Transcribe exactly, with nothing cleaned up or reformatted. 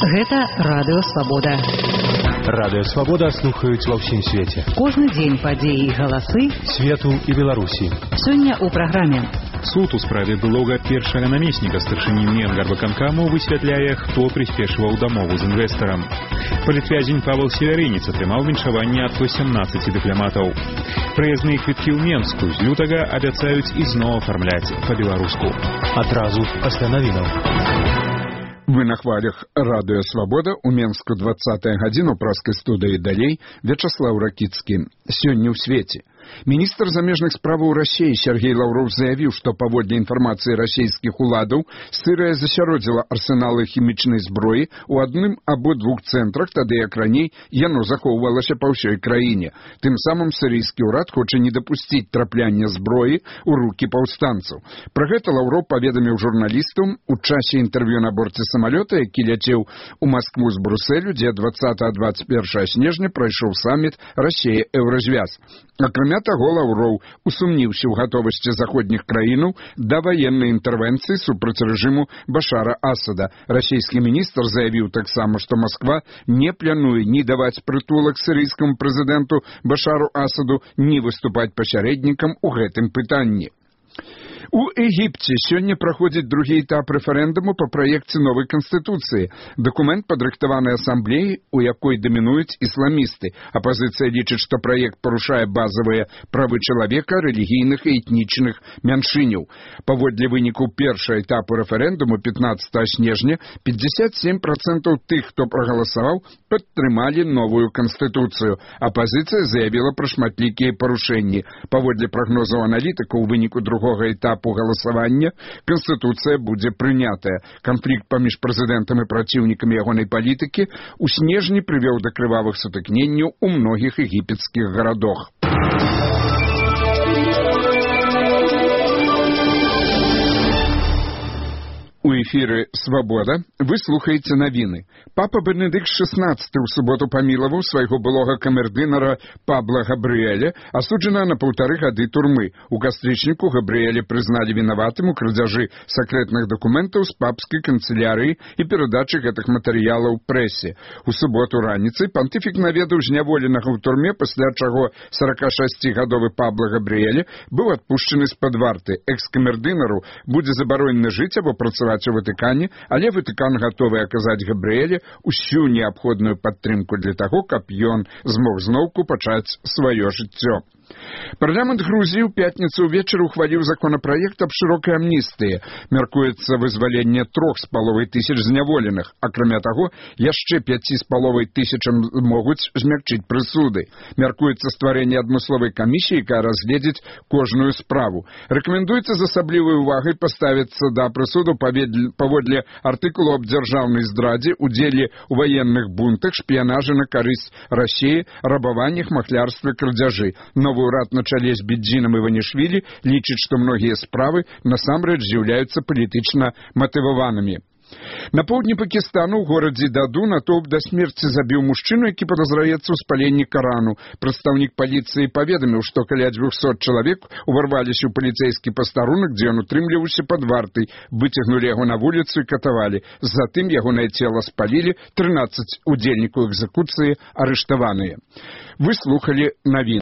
Гэта Радыё Свабода. Радыё Свабода слухаюць ва ўсім свеце. Кожны дзень падзеі і галасы свету і Беларусі. Сёння ў праграме. Суд у справе былога першага намесніка старшыні Менгарвыканкаму высвятляе, хто прыспешваў дамову з інвестарам. Палітвязень Павел Северынец атрымаў віншаванне ад сямнаццаці дыпламатаў. Праязныя квіткі ў Менску з лютага абяцаюць ізноў афармляць па-беларуску. Адразу пасля навінаў. Вы на хвалях Радыё Свабода, у Менску двадцатая гадзіна, у праскай студыі далей Вячаслаў Ракіцкі. Сёння ў свеце. Міністр замежных справаў Расіі Сергей Лаўров заявіў, што паводле інфармацыі расійскіх уладаў Сырыя засяродзіла арсеналы хімічнай зброі ў адным або двух цэнтрах, тады як раней яно захоўвалася па ўсёй краіне. Тым самым сірыйскі ўрад хоча не дапусціць трапляння зброі ў рукі паўстанцаў. Пра гэта Лаўров паведаміў журналістам у часе інтэрв'ю на борце самалёта, які ляцеў у Маскву з Брусэлю, дзе двадцатага - дваццаць першага снежня прайшоў саміт Расія-Еўразвяз. Акрамя таго, Лаўроў усумніўся ў гатовасці заходніх краінаў да ваеннай інтэрвенцыі супраць рэжыму Башара Асада. Расійскі міністр заявіў таксама, што Масква не плануе ні даваць прытулак сірыйскаму прэзідэнту Башару Асаду, ні выступаць пасярэднікам у гэтым пытанні. У Егіпце сёння праходзіць другі этап рэферэндуму па праекце новай канстытуцыі. Дакумент падрыхтаваны асамблеяй, у якой дамінуюць ісламісты. Апазіцыя лічыць, што праект парушае базавыя правы чалавека, рэлігійных і этнічных мяншыняў. Паводле вынікаў першага этапу рэферэндуму пятнаццатага снежня пятьдесят семь процентов тых, хто прагаласаваў, падтрымалі новую канстытуцыю. Апазіцыя заявіла пра шматлікія парушэнні. Паводле прагнозаў аналітыкаў, у выніку другога этапу этапу галасавання Канстытуцыя будзе прынятая. Канфлікт паміж прэзідэнтам і праціўнікамі ягонай палітыкі ў снежні прывёў да крывавых сутыкненняў у многіх егіпецкіх гарадах. У эфіры «Свабода» вы слухаеце навіны. Папа Бенедыкт шэснаццаты ў суботу памілаваў свайго былога камердынара Пабла Габрыэля, асуджанага на паўтары гады турмы. У кастрычніку Габрыэля прызналі вінаватым у крадзяжы сакрэтных дакументаў з папскай канцылярыі і перадачы гэтых матэрыялаў прэсе. У суботу раніцай пантыфік наведаў зняволенага ў турме, пасля чаго саракашасцігадовы Пабла Габрыэля быў адпушчаны з-пад варты. Экс-камердынару будзе забаронена жыць або працаваць у Ватыкане, але Ватыкан гатовы аказаць Габрыэле усю неабходную падтрымку для таго, каб ён змог зноўку пачаць сваё жыццё. Парламент Грузіі ў пятніцу ўвечары ухваліў законапраект аб шырокай амністыі. Мяркуецца вызваленне трох з паловай тысяч зняволеных. Акрамя таго, яшчэ пяці з паловай тысячам могуць змякчыць прысуды. Мяркуецца стварэнне адмысловай камісіі, якая разгледзіць кожную справу. Рэкамендуецца з асаблівай увагай паставіцца да прысуду паводле артыкулу аб дзяржаўнай здрадзе, удзеле ў ваенных бунтах, шпіянажы на карысць Расіі, рабаваннях, махлярстве, крадзяжы. Новы ўрад на чале з Бедзінам Іванішвілі лічыць, што многія справы насамрэч з'яўляюцца палітычна матываванымі. На поўдні Пакістану ў горадзе Даду натоўп да смерці забіў мужчыну, які падазраецца ў спаленні Карану. Прадстаўнік паліцыі паведаміў, што каля дзвюхсот чалавек уварваліся ў паліцэйскі пастарунак, дзе ён утрымліваўся пад вартай, выцягнулі яго на вуліцу і катавалі. Затым ягонае цела спалілі, трынаццаць удзельнікаў экзекуцыі арыштаваныя. Вы слухалі навіны.